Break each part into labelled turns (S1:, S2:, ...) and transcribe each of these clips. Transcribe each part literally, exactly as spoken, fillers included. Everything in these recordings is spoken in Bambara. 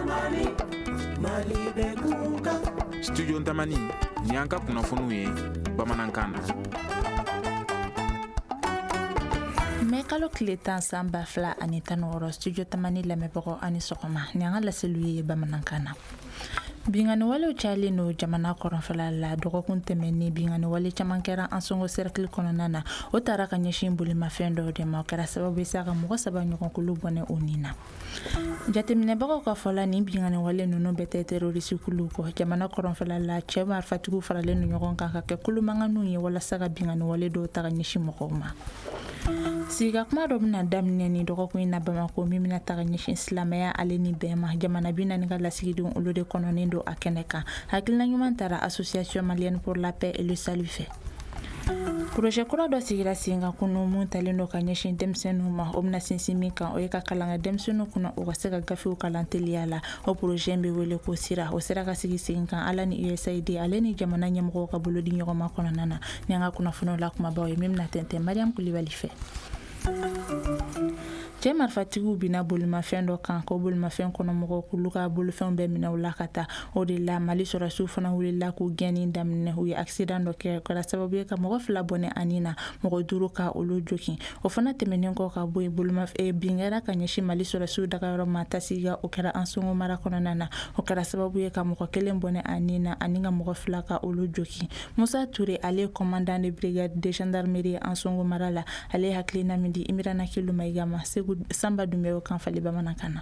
S1: Tamani, Mali bɛ kunkan.
S2: Studio Tamani, ni an ka kunnafoniw ye bamanankan na.
S3: Mɛ kalo tile tan san ba fila ani tan ni wɔɔrɔ, Studio Tamani lamɛnbagaw ani sɔgɔma. Ni an ka laseliw ye bamanankan na. Binkanni walew cayalen don jamana kɔrɔnfɛla la. Dɔgɔkun tɛmɛnen, binkanni wale caman kɛra Ansongo cercle kɔnɔna na. O taara ka ɲɛsin bolimafɛn dɔw de ma. O kɛra sababu ye sa ka mɔgɔ saba ɲɔgɔn bɔnɛ o nin na. Jateminɛbagaw ka fɔ la, nin binkanni wale ninnu bɛɛ tɛ terroriste kuluw kɔ. Jamana kɔrɔnfɛla la, cɛ marifatigiw faralen don ɲɔgɔn kan ka kɛ kulumanganiw ye walasa ka binkanni wale dɔw ta ka ɲɛsin mɔgɔw ma. Sigika kuma dɔ bɛna daminɛ ni dɔgɔkun in na Bamakɔ, min bɛna taga ɲɛsin silamɛya ale ni bɛn ma. Jamana bi naani ka lasigidenw, olu de kɔnɔnen don a kɛnɛ kan. Hakilina ɲuman taara Association malienne pour la paix et le salut fɛ. Projet kura dɔ sigira sen kan kunu, mun talen don ka ɲɛsin denmisɛnninw ma. O bɛna sinsin min kan, o ye ka kalan kɛ denmisɛnninw kunna, u ka se ka gafew kalan teliya la. O projet bɛ wele ko SIRA. O sera ka sigi sen kan ala ni U S A I D ale ni jamana ɲɛmɔgɔw ka bolo di ɲɔgɔn ma kɔnɔna na. Ni an ka kunnafoniw la kumabaw ye, min bɛna tɛntɛn Mariam Kulibali fɛ. Cɛ marifatigiw bina bolimafɛn dɔ kan, ko bolimafɛn kɔnɔmɔgɔw k'olu ka bolofɛnw bɛɛ minɛ u la ka taa. O de la, Mali sɔrɔsiw fana wulila k'u gɛnni daminɛ. U ye accident dɔ kɛ, kɛra sababu ye ka mɔgɔ fila bɔnɛ ani na mɔgɔ duuru ka olu jogin. O fana tɛmɛnen kɔ ka bɔ yen, bolima bin kɛra ka ɲɛsin Mali sɔrɔsiw dagayɔrɔ ma Tasiga. O kɛra Ansongo mara kɔnɔna na. O kɛra sababu ye ka mɔgɔ kelen bɔnɛ ani na ani ka mɔgɔ fila ka olu jogin. Musa Ture, ale ye commandant de brigade de gendarmerie Ansongo mara la, ale ye hakilina min di Imirana Kilu Mayiga ma, Segu Sanba Dunbiya kan fali bamanankan na.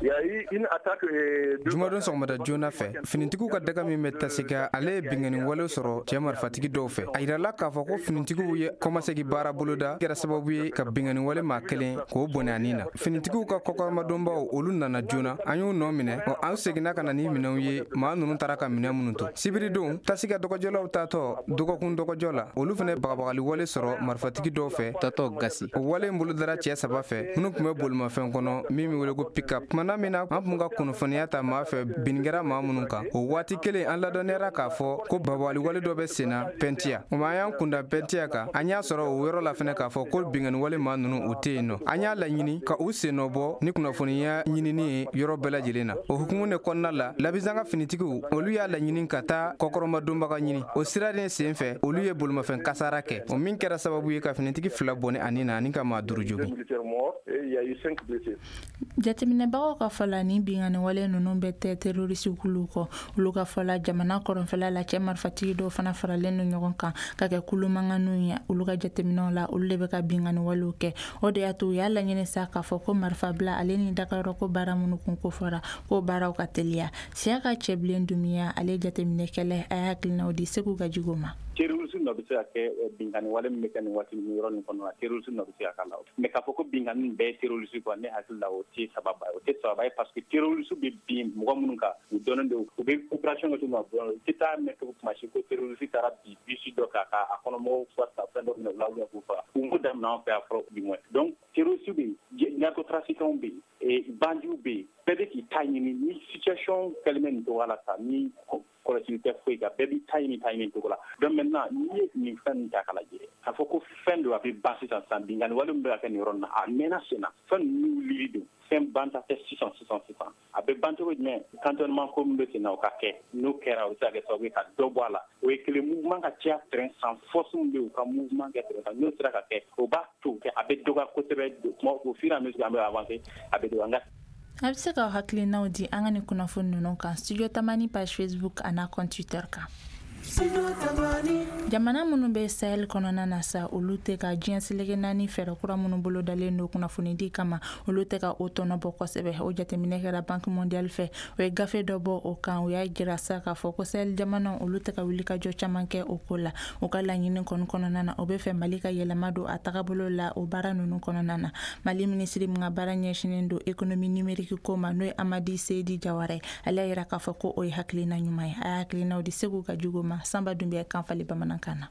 S4: Jumadon sɔgɔmada joona fɛ, finitigiw ka daga min bɛ Tasiga, ale ye binkanni wale sɔrɔ cɛ marifatigi dɔw fɛ. A yirala k'a fɔ ko finitigiw ye kɔmasegi baara boloda, kɛra sababu ye ka binkanni wale maa kelen k'o bɔnɛ ani na. Finitigiw ka kɔkɔrɔmadonbaw, olu nana joona, an y'u nɔ minɛ. Ɔ, an seginna ka na ni minɛnw ye, maa ninnu taara ka minɛn minnu to. Sibiridon, Tasiga dɔgɔjɔlaw taatɔ dɔgɔkun dɔgɔjɔ la, olu fana bagabagali wale sɔrɔ marifatigi dɔw fɛ tatɔ Gasi. O wale in bolodara cɛ saba fɛ minnu tun bɛ bolimafɛn kɔnɔ min bɛ wele ko pick-up. Tumana min na an tun ka kunnafoniya ta maa fɛ bin kɛra maa minnu kan, o waati kelen an ladɔnniyara k'a fɔ ko bagabagali wale dɔ bɛ senna Pɛntiya. O ma, an y'an kunda Pɛntiya kan, an y'a sɔrɔ o yɔrɔ la fɛnɛ k'a fɔ ko binkanni wale maa ninnu, u tɛ yen nɔ. An y'a laɲini ka u sennɔ bɔ ni kunnafoniya ɲinini ye yɔrɔ bɛɛ lajɛlen na. O hukumu de kɔnɔna la, Labizanga finitigiw, olu y'a laɲini ka taa kɔkɔrɔmadonbaga ɲini. O sira de sen fɛ, olu ye bolimafɛn kasara kɛ, o min kɛra sababu ye ka finitigi fila bɔnɛ ani na ani ka maa duuru jogin.
S3: Jateminɛbagaw ka fɔ la, nin binkanni wale ninnu bɛɛ tɛ terroriste kuluw kɔ. Olu ka fɔ la, jamana kɔrɔnfɛla la, cɛ marifatigi dɔw fana faralen don ɲɔgɔn kan ka kɛ kulumanganiw ye. Olu ka jateminɛw la, olu de bɛ ka binkanni walew kɛ. O de y'a to u y'a laɲini sa k'a fɔ ko marifabila ale ni dagayɔrɔ ko baara minnu kun ko fɔra, k'o baaraw ka teliya. Siyaka Cɛbilen Dumiya, ale jateminɛkɛla, a y'a hakilinaw di Segu Gajigo ma.
S5: Terroriste nɔ bɛ se ka kɛ binkanni wale min bɛ kɛ nin waati nin yɔrɔ nin kɔnɔ na, terroriste nɔ bɛ se ka k'a la. Mais k'a fɔ ko binkanni bɛɛ ye terroriste quoi, ne hakili la, o tɛ sababa ye, o tɛ sababa ye, parce que terroriste bɛ bin mɔgɔ minnu kan, u dɔnnen don, u bɛ opération kɛ cogo min na, u tɛ taa mɛn cogo kuma si ko terroriste taara bin bus dɔ kan k'a kɔnɔ mɔgɔw fa fɛn dɔ minɛ u la ou bien k'u faga. U m'o daminɛ an fɛ yan fɔlɔ, du moins. Donc terroriste bɛ yen, narcotrafiquants bɛ yen, bandits bɛ yen, bɛɛ bɛ k'i ta ɲini. Ni situation kɛlen bɛ nin cogoya la tan, ni kɔlɔsili tɛ foyi kan, bɛɛ b'i ta ɲini ta ɲini cogo la. Donc maintenant, n'i ye nin fɛn nin ta k'a lajɛ, k'a fɔ ko fɛn don a bɛ ban sisan sisan, binkanni wale min bɛ ka kɛ nin yɔrɔ nin na, a mɛnna sen na, fɛn ninnu wulili don, fɛn banta tɛ sisan sisan sisan. A bɛ ban cogo jumɛn? Cantonnement ko min bɛ sen na, o ka kɛ. N'o kɛra, o bɛ se ka kɛ sababu ye ka dɔ bɔ a la. O ye kelen. Mouvement ka caya terrain san, force min bɛ yen, u ka mouvement kɛ terrain san, n'o sera ka kɛ, o b'a to a bɛ dɔgɔya kosɛbɛ. Au fur et à mesure an bɛ avancer, a bɛ dɔgɔya.
S3: A bɛ se ka hakilinaw di an ka nin kunnafoni ninnu kan Studio Tamani page Facebook a n'a compte Twitter kan. Jamana minnu bɛ Sahel kɔnɔna na sa, olu tɛ ka diɲɛ seleke naani fɛɛrɛ kura minnu bolodalen don kunnafonidi kama, olu tɛ ka o tɔnɔ bɔ kosɛbɛ. O jateminɛ kɛra Banque mondiale fɛ, o ye gafe dɔ bɔ o kan. O y'a jira sa k'a fɔ ko Sahel jamanaw, olu tɛ ka wulikajɔ caman kɛ o ko la. U ka laɲini kɔni kɔnɔna na, o bɛ fɛ Mali ka yɛlɛma don a tagabolo la o baara ninnu kɔnɔna na. Mali minisiri min ka baara ɲɛsinnen don économie numérique ko ma, n'o ye Amadi Seyidi Jawara ye, ale y'a jira k'a fɔ ko o ye hakilina ɲuman ye. A y'a hakilinaw di Segu Gajigo ma. ma. Sanba Dunbiya kan fali bamanankan na.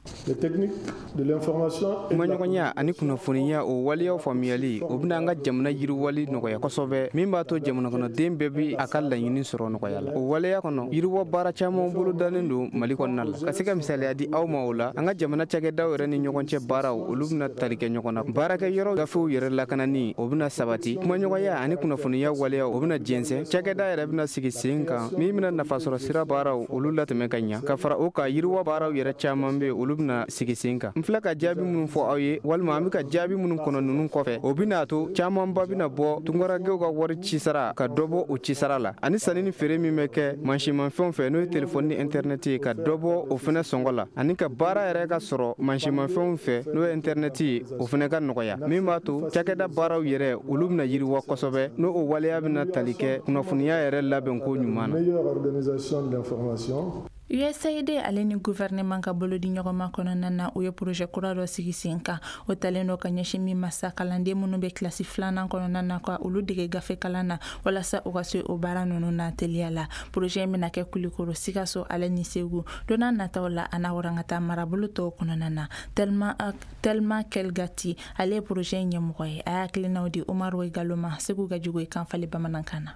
S4: Kumaɲɔgɔnya ani kunnafoniya, o waleyaw faamuyali, o bɛna an ka jamana yiriwali nɔgɔya kosɛbɛ, min b'a to jamana kɔnɔden bɛɛ bi a ka laɲini sɔrɔ nɔgɔya la. O waleya kɔnɔ, yiriwa baara caman bolo dalen don Mali kɔnɔna la. Ka se ka misaliya di aw ma o la, an ka jamana cakɛdaw yɛrɛ ni ɲɔgɔn cɛ baaraw, olu bɛna tali kɛ ɲɔgɔn na. Baarakɛ yɔrɔ gafew yɛrɛ lakanani, o bɛna sabati. Kumaɲɔgɔnya ani kunnafoniya waleyaw, o bɛna jɛnsɛn. Cakɛda yɛrɛ bɛna sigi sen kan min bɛna nafasɔrɔ sira baaraw olu latɛmɛ ka ɲa. Ka fara o kan, yiriwa baaraw yɛrɛ caman bɛ, olu bɛna sigi sen kan. N filɛ ka jaabi minnu fɔ aw ye, walima an bɛ ka jaabi minnu kɔnɔ ninnu kɔfɛ, o bɛna to camanba bɛna bɔ tunkarankew ka wari cisara, ka dɔ bɔ o cisara la, ani sanni ni feere min bɛ kɛ mansinmafɛnw fɛ, n'o ye telefɔni ni intɛrɛnɛti ye, ka dɔ bɔ o fɛnɛ sɔngɔ la, ani ka baara yɛrɛ ka sɔrɔ mansinmafɛnw fɛ, n'o ye intɛrɛnɛti ye, o fɛnɛ ka nɔgɔya, min b'a to cakɛda baaraw yɛrɛ olu bɛna yiriwa kosɛbɛ, n'o o waleya bɛna tali kɛ kunnafoniya yɛrɛ labɛnko ɲuman na.
S3: U S A I D ale ni gouvernement ka bolodi ɲɔgɔnma kɔnɔna na, u ye projet kura dɔ sigi sen kan. O talen dɔ ka ɲɛsin min ma sa, kalanden minnu bɛ kilasi filanan kɔnɔna na, ka olu dege gafe kalan na walasa u ka se o baara ninnu na teliya la. Projet in bɛna kɛ Kulikoro, Sikaso ale ni Segu. Don n'a nataw la, a n'a warankata marabolo tɔw kɔnɔna na. Tellement Kelgati, ale ye projet in ɲɛmɔgɔ ye. A y'a hakilinaw di Umaru Galo ma Segu ka jugu kan fali bamanankan na.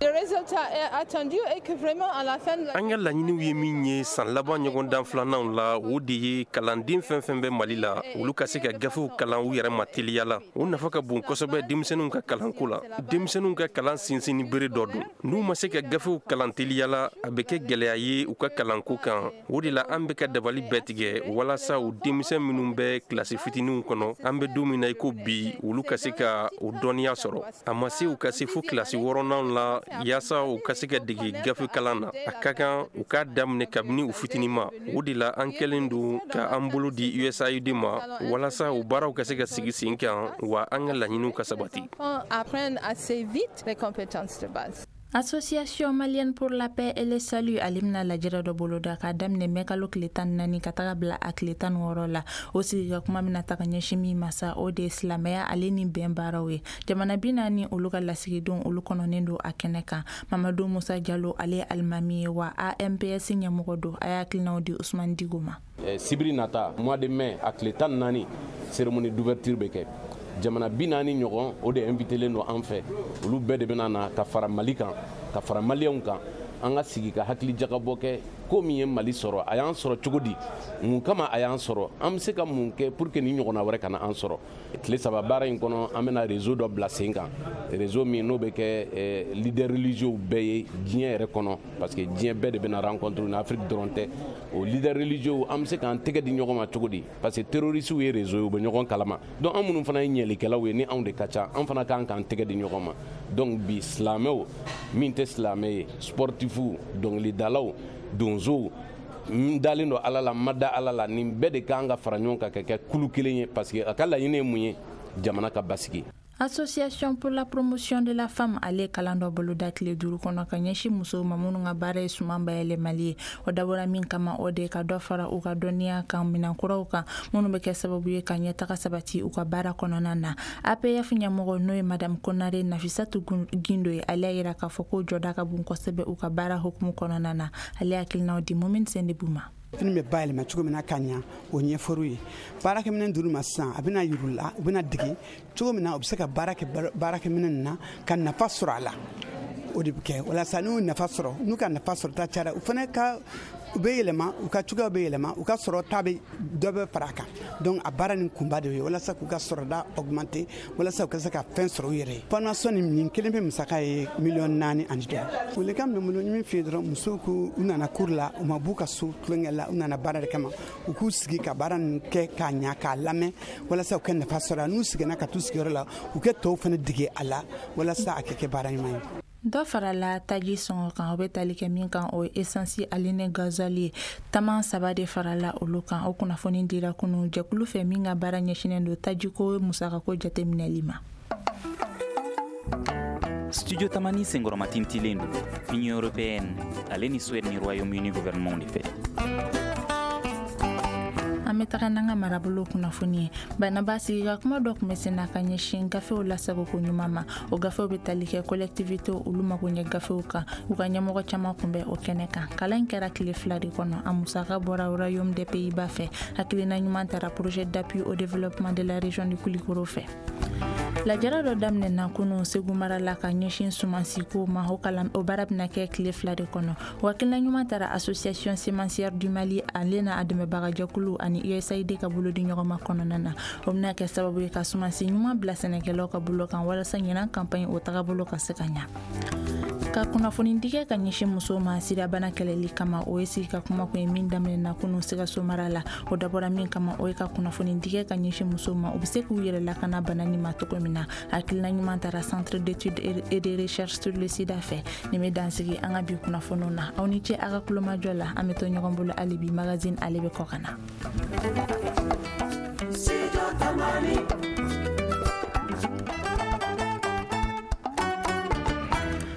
S6: An ka laɲiniw ye min ye san laban ɲɔgɔndan filananw la, o de ye kalanden fɛn fɛn bɛ Mali la, olu ka se ka gafew kalan u yɛrɛ ma teliya la. O nafa ka bon kosɛbɛ denmisɛnninw ka kalanko la. Denmisɛnninw ka kalan sinsin bere dɔ don. N'u ma se ka gafew kalan teliya la, a bɛ kɛ gɛlɛya ye u ka kalanko kan. O de la an bɛ ka dabali bɛɛ tigɛ walasa u denmisɛn minnu bɛ kilasi fitininw kɔnɔ, an bɛ don min na i ko bi, olu ka se ka o dɔnniya sɔrɔ. A ma se u ka se fo kilasi wɔɔrɔnanw la yaasa u ka se ka dege gafe kalan na. A ka kan u k'a daminɛ kabini u fitinin ma. O de la an kɛlen don ka an bolo di U S A I D ma walasa u baaraw ka se ka sigi sen kan, wa an ka laɲiniw ka sabati.
S3: Association malienne pour la paix et le salut, ale bɛna lajɛrɛ dɔ boloda k'a daminɛ mɛ kalo tile tan ni naani ka taga bila a tile tan ni wɔɔrɔ la. O sigi ka kuma bɛna taga ɲɛsin min ma sa, o de ye silamɛya ale ni bɛn baaraw ye. Jamana bi naani olu ka lasigidenw, olu kɔnɔnen don a kɛnɛ kan. Mamadu Musa Jalo, ale ye alimami ye wa A M P S ɲɛmɔgɔ don. A y'a hakilinaw di Usman Digo ma.
S7: Sibiri nata, mois de mai a tile tan naani, cérémonie d'ouverture bɛ kɛ. Jamana bi naani ɲɔgɔn, o de invitelen don an fɛ. Olu bɛɛ de bɛna na ka fara Mali kan, ka fara Maliyɛnw kan. An ka sigi ka hakili jagabɔ kɛ ko min ye Mali sɔrɔ, a y'an sɔrɔ cogo di, mun kama a y'an sɔrɔ, an bɛ se ka mun kɛ pour que ni ɲɔgɔnna wɛrɛ kana an sɔrɔ. Tile saba baara in kɔnɔ, an bɛna réseau dɔ bila sen kan, réseau min n'o bɛ kɛ leader religieux bɛɛ ye diɲɛ yɛrɛ kɔnɔ, parce que diɲɛ bɛɛ de bɛna rencontre ni Afrique dɔrɔn tɛ. O leader religieux, an bɛ se k'an tɛgɛ di ɲɔgɔn ma cogo di? Parce que terroristes ye réseau ye, u bɛ ɲɔgɔn kalama. Donc an minnu fana ye ɲɛlikɛlaw ye, ni anw de ka ca, an fana kan k'an tɛgɛ di ɲɔgɔn ma. Donc bi, silamɛw, min tɛ silamɛ ye, sportifu, dɔnkilidalaw, donsow, n dalen don Ala la, n ma da Ala la, nin bɛɛ de kan ka fara ɲɔgɔn kan ka kɛ kulu kelen ye, parce que a ka laɲini ye mun ye? Jamana ka basigi.
S3: Association pour la promotion de la femme, ale kalan dɔ boloda tile duuru kɔnɔ ka ɲɛsin musow ma minnu ka baara ye suman bayɛlɛmali ye. O dabɔra min kama, o de ka dɔ fara u ka dɔnniya kan minɛnkuraw kan minnu bɛ kɛ sababu ye ka ɲɛtaga sabati u ka baara kɔnɔna na. A P F ɲɛmɔgɔ, n'o ye madame Konare Nafisatu Gindo ye, ale y'a yira k'a fɔ ko jɔda ka bon kosɛbɛ u ka baara hukumu kɔnɔna na. Ale hakilinaw di Mumini Sendebu ma.
S8: Fini bɛ bayɛlɛma cogo min na ka ɲa, o ɲɛfɔr'u ye. Baarakɛminɛn dir'u ma sisan, a bɛna yir'u la, u bɛna dege cogo min na u bɛ se ka baara kɛ baarakɛminɛn nin na ka nafa sɔrɔ a la. O de bɛ kɛ walasa n'u nafa sɔrɔ, n'u ka nafa sɔrɔ ta cayara, u fana ka u bɛ yɛlɛma, u ka cogoya bɛ yɛlɛma, u ka sɔrɔ ta bɛ dɔ bɛ fara a kan. Donc a baara nin kunba de ye walasa k'u ka sɔrɔda augmenter, walasa u ka se ka fɛn sɔrɔ u yɛrɛ ye. Formation nin nin kelen bɛ musaka ye miliyɔn naani ani dɔ. Welekan min bɛ n bolo, n ye min f'i ye dɔrɔn, musow k'u u nana cours la, u ma b'u ka so tulonkɛ la, u nana baara de kama. U k'u sigi ka baara nin kɛ k'a ɲa, k'a lamɛn, walasa u ka nafa sɔrɔ a. N'u seginna ka t'u sigiyɔrɔ la, u kɛ tɔw fana dege a la walasa a kɛ kɛ baara ɲuman ye.
S3: Dɔ farala taji sɔngɔ kan, o bɛ tali kɛ min kan, o ye essence ale ni gasoil ye. Taman saba de farala olu kan. O kunnafoni dira kunu jɛkulu fɛ min ka baara ɲɛsinnen don tajiko musakako jateminɛli ma.
S9: Studio Tamani senkɔrɔmatintilen don Union européenne ale ni Suède ni Royaume-Uni gouvernement de fɛ.
S3: An An bɛ taga n'an ka marabolo kunnafoni ye. Banaba sigi ka kuma dɔ tun bɛ sen na ka ɲɛsin gafew lasagoko ɲuman ma. O gafew bɛ tali kɛ collectivité olu mago ɲɛ gafew kan. U ka ɲɛmɔgɔ caman tun bɛ o kɛnɛ kan. Kalan in kɛra tile fila de kɔnɔ. A musaka bɔra Royaume des Pays-Bas fɛ. Hakilina ɲuman tara projet d'appui au développement de la région du Koulikoro fɛ. Lajɛrɛ dɔ daminɛna kunun Segu mara la ka ɲɛsin sumansiko ma. O kalan o baara bɛna kɛ tile fila de kɔnɔ. O hakilina ɲuman tara Association semencière du Mali, ale n'a dɛmɛbagajɛkulu ani U S A I D ka bolodi ɲɔgɔnma kɔnɔna na. O bɛna kɛ sababu ye ka sumansi ɲuman bila sɛnɛkɛlaw ka bolo kan, walasa ɲinan campagne o tagabolo ka se ka ɲa. Ka kunnafoni dikɛ ka ɲɛsin musow ma sidabana kɛlɛli kama, o ye sigi ka kuma kun ye min daminɛna kunun Sikaso mara la. O dabɔra min kama, o ye ka kunnafoni dikɛ ka ɲɛsin musow ma, u bɛ se k'u yɛrɛ lakana bana nin ma cogo min na. Hakilina ɲuman tara Centre d'études et de recherche sur le sida fɛ. Nin bɛ dansigi an ka bi kunnafoniw na. Aw ni ce a ka kulomajɔ la. An bɛ to ɲɔgɔn bolo hali bi. Magazine, ale bɛ kɔ ka na.
S1: Studio Tamani.